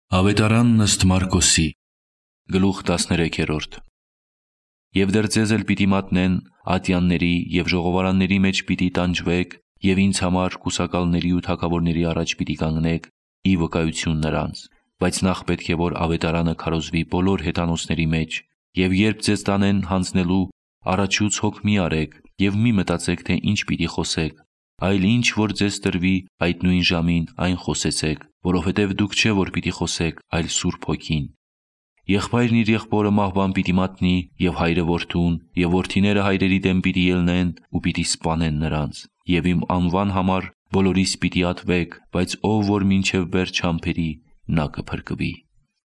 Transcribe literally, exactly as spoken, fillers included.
Ավետարանն ըստ Մարկոսի, գլուխ տասներեքերորդ։ Եվ դեռ ձեզ էլ պիտի մատնեն ատյանների և ժողովարանների մեջ պիտի տանջվեք, և ինձ համար կուսակալների ու թագավորների առաջ պիտի կանգնեք ի վկայություն նրանց, բայց նախ պետք է որ ավետարանը քարոզվի բոլոր հեթանոսների մեջ, և երբ ձեզ տանեն հանձնելու, առաջուց հոգ մի արեք և մի մտածեք, թե ինչ պիտի խոսեք, այլ ինչ որ ձեզ տրվի այդ նույն ժամին այն խոսեցեք, որովհետև դուք չէ որ պիտի խոսեք, այլ Սուրբ Հոգին։ Եղբայրն իր եղբորը մահվան պիտի մատնի, և հայրը որդուն, և որդիները հայրերի դեմ պիտի ելնեն ու պիտի սպանեն նրանց, և իմ անվան համար բոլորիս պիտի ատվեք, բայց ով որ մինչև վերջ համբերի, նա կփրկվի։